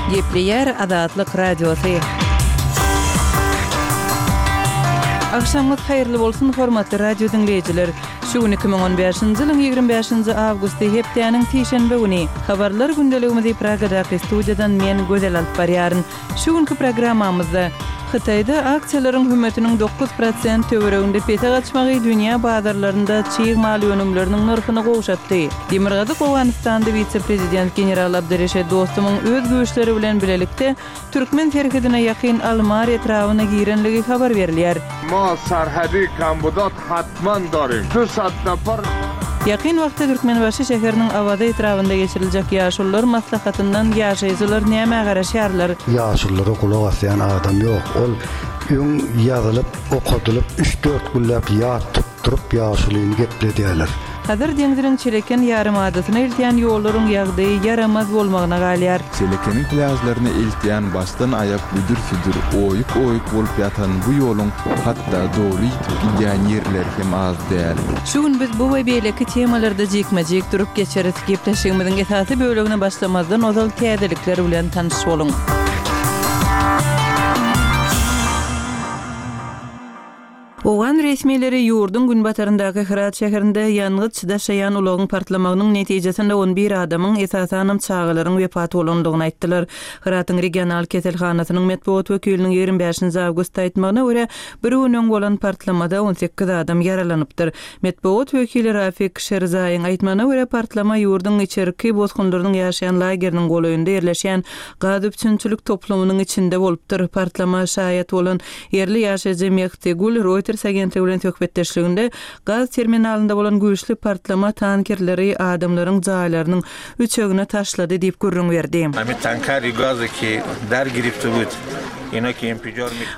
Gepleýär Azatlyk Radiosy. Agşamyňyz haýyrly bolsun, hormatly radio diňleýjiler! Şu gün 2015-nji ýylyň 25-nji awgusty, hepdäniň sişenbe güni. Habarlar gündeligimizi Pragadaky studiýadan men, Gözel alyp barýaryn. Şu günki programmamyzda Hytaýda aksiýalaryň hümmetiniň 9% töwereginde pese gaçmagy dünýä bazarlarynda çig mal önümleriniň nyrhyny gowşatdy. Demirgazyk Owganystanda wise-prezident general Abdyreşit Dostumyň öz güýçleri bilen bilelikde türkmen serhedine ýakyn Almar etrabyna girenligi habar berilýär. Ma serhedi kambudat hatman darim. Du sad nafar. Ýakyn wagtda Türkmenbaşy şäheriniň Awaza etrabynda geçiriljek Ýaşulular maslahatyndan ýaşaýjylar nämä garaşýarlar? Ýaşululara gulak asýan adam ýok. Ol öň ýazylyp, okadylyp, üç-dört günläp ýat tutduryp ýaşulyny gepledýärler. Hazar deňziniň Çeleken ýarymadasyna eltýän ýollaryň ýagdaýy ýaramaz bolmagyna galýar. Çelekeniň plýažlaryna eltýän başdan-aýak büdür-südür, oýuk-oýuk bolup ýatan bu ýoluň hatda doly ýitip gidýän ýerleri hem az däl. Şu gün biz bu we beýleki temalarda jikme-jik durup geçeris. Gepleşigimiziň esasy bölegine başlamazdan ozal täzelikler bilen tanyş boluň. Owgan resmileri ýurduň günbataryndaky Hyrat şäherinde ýangyç daşaýan ulagyň partlamagynyň netijesinde on bir adamyň, esasanam çagalaryň wepat bolandygyny aýtdylar. Hyratyň regional keselhanasynyň metbugat wekiliniň 25-nji awgustda aýtmagyna görä, bir gün öň bolan partlamada 18 adam ýaralanypdyr. Metbugat wekili Rafik Şerzaýyň aýtmagyna görä, partlama ýurduň içerki bosgunlarynyň ýaşaýan lageriniň golaýynda ýerleşýän gaz üpjünçilik toplumynyň içinde bolupdyr. Partlama şaýat bolan Ýerli ýaşaýjy Mehdi Gül Reuters agentligi bilen söhbetdeşliginde gaz terminalynda bolan güýçli partlama tankerleri adamlaryň jaýlarynyň üçegine taşlady diýip gürrüň berdi.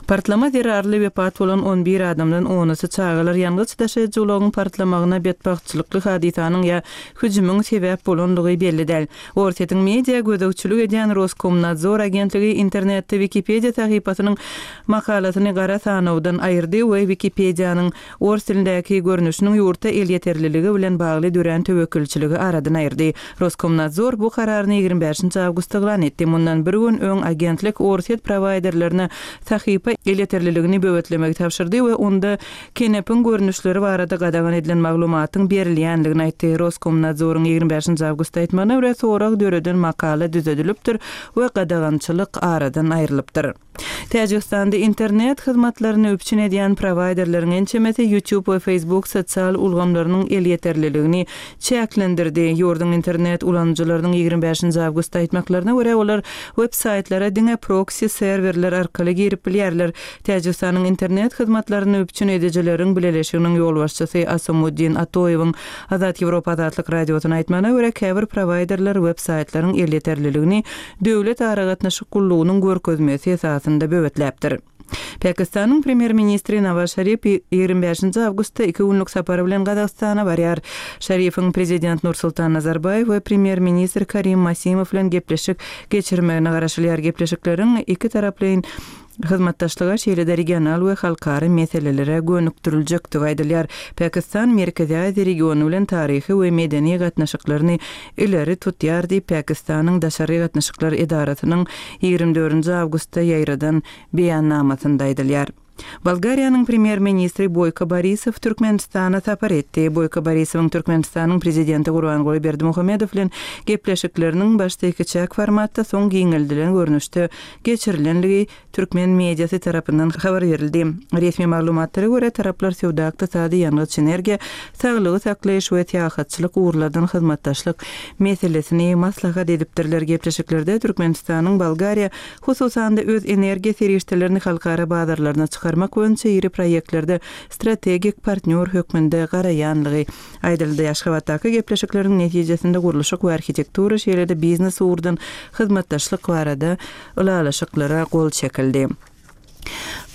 Partlama zerarly wepat bolan on bir adamdan onusy çagalar ýangyç daşaýjy ulagyň partlamagyna betbagtçylykly hadysanyň ýa hüjümiň sebäp bolandygy belli däl. Orsýetiň media gözegçilik edýän Roskomnadzor agentligi internetde Wikipediýa sahypasynyň makalasyny gara sanawdan aýyrdy we Wikipediýanyň ors dilindäki görnüşiniň ýurtda elýeterliligi bilen bagly dörän töwekgelçiligi aradan aýyrdy. Roskomnadzor bu kararyny 25-nji awgustda yglan etdi. Mundan bir gün öň agentlik orsýet prowaýderlerine sahypa elýeterliligini böwetlemegi tabşyrdy we onda Kenepiň görnüşleri barada gadagan edilen maglumatyň berilýändigini aýtdy. Roskomnadzoryň 25-nji awgustda aýtmagyna görä, sorag döreden makala düzedilipdir we gadagançylyk aradan aýrylypdyr. Täjigistanda internet hyzmatlaryny üpjün edýän prowaýderleriň ençemesi YouTube we Facebook sosial ulgamlarynyň elýeterliligini çäklendirdi. Ýurduň internet ulanyjylarynyň 25-nji awgustda aýtmaklaryna görä, olar web-saýtlara diňe proksi-serwerler arkaly girip bilýärler. Täjigistanyň internet hyzmatlaryny üpjün edijileriň bileleşiginiň ýolbaşçysy Asomuddin Atoýewiň Azat Ýewropa Azatlyk Radiosyna aýtmagyna görä, käbir prowaýderler web-saýtlaryň elýeterliligini döwlet aragatnaşyk gullugynyň görkezmesi esasynda böwetläpdir. Pakistanyň premýer-ministri Nawaz Şarif 25-nji awgustda iki günlük sapar bilen Gazagystana barýar. Şarifiň prezident Nursultan Nazarbaýew we premýer-ministr Karim Masimow bilen gepleşik geçirmegine garaşylýar. Gepleşikleriň ikitaraplaýyn hyzmatdaşlyga, şeýle-de regional we halkara meselelere gönükdiriljekdigi aýdylýar. Pakistan Merkezi Aziýa regiony bilen taryhy we medeni gatnaşyklaryny ileri tutýar diýip, Pakistanyň Daşary gatnaşyklar edarasynyň 24-nji awgustda ýaýradan beýannamasynda aýdylýar. Bolgariýanyň Premýer-ministri Boýko Borisow Türkmenistana sapar etdi. Boýko Borisowyň Türkmenistanyň Prezidenti Gurbanguly Berdimuhamedow bilen gepleşikleriniň başda ikiçäk formatda, soň giňeldilen görnüşde geçirilenligi türkmen mediasy tarapyndan habar berildi. Resmi maglumatlara görä, taraplar söwda-ykdysady, ýangyç-energiýa, saglygy saklaýyş we syýahatçylyk ugurlardan hyzmatdaşlyk meselesini maslahat edipdirler. Gepleşiklerde Türkmenistanyň Bolgariýa, hususan-da, öz energiýa serişdelerini halkara bazarlaryna çykarmak boýunça iri proýektlerde strategik partnýor hökmünde garaýanlygy Aýdyldy. Aşgabatdaky gepleşikleriň netijesinde gurluşyk we arhitektura, şeýle-de biznes ugurdan hyzmatdaşlyk barada ylalaşyklara gol çekildi.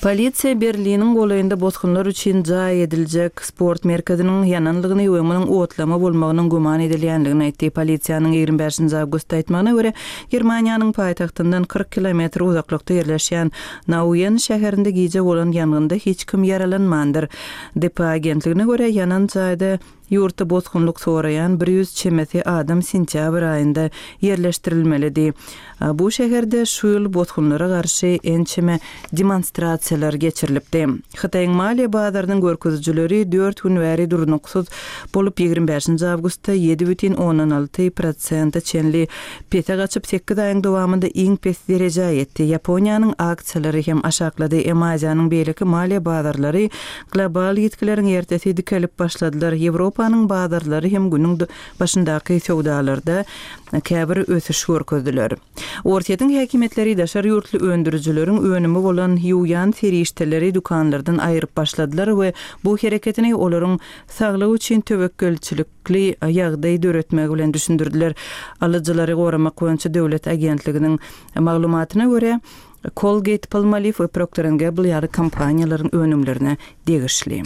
Polisiýa Berliniň golaýynda bosgunlar üçin jaý ediljek sport merkeziniň ýananlygyny we munuň otlama bolmagynyň güman edilýänligini aýtdy. Polisiýanyň 25 awgustda aýtmagyna görä, Germaniýanyň paýtagtyndan 40 kilometr uzaklykda ýerleşýän Nauen şäherinde gije bolan ýangynda hiç kim ýaralanmandyr. Dpa agentligine görä, ýanan jaýda Ýurtda bosgunlyk soraýan 100 çemesi adam sentýabr aýynda ýerleşdirilmelidi. Bu şäherde şu ýyl bosgunlara garşy ençeme demonstrasiýalar geçirilipdi. Hytaýyň maliýe bazarynyň görkezijileri dört gün bäri durnuksyz bolup, 25 awgustda 7,6 prosente çenli pese gaçyp, sekiz aýyň dowamynda iň pes derejä ýetdi. Ýaponiýanyň aksiýalary hem aşaklady. Aziýanyň beýleki maliýe bazarlary Global ýitgileriň ertesi dikelip başladylar. Ýewropanyň bazarlary hem günüň başyndaky söwdalarda käbir ösüş görkezdiler. Orsýetiň häkimiýetleri daşary ýurtly öndürijileriň önümi bolan ýuwýan serişdeleri dükanlardan aýryp başladylar we bu hereketini olaryň saglygy üçin töwekgelçilikli ýagdaý döretmegi bilen düşündirdiler. Alyjylary goramak boýunça döwlet agentliginiň maglumatyna görä, Colgate, Palmolive we Procter and Gamble ýaly kompaniýalaryň önümlerine degişli.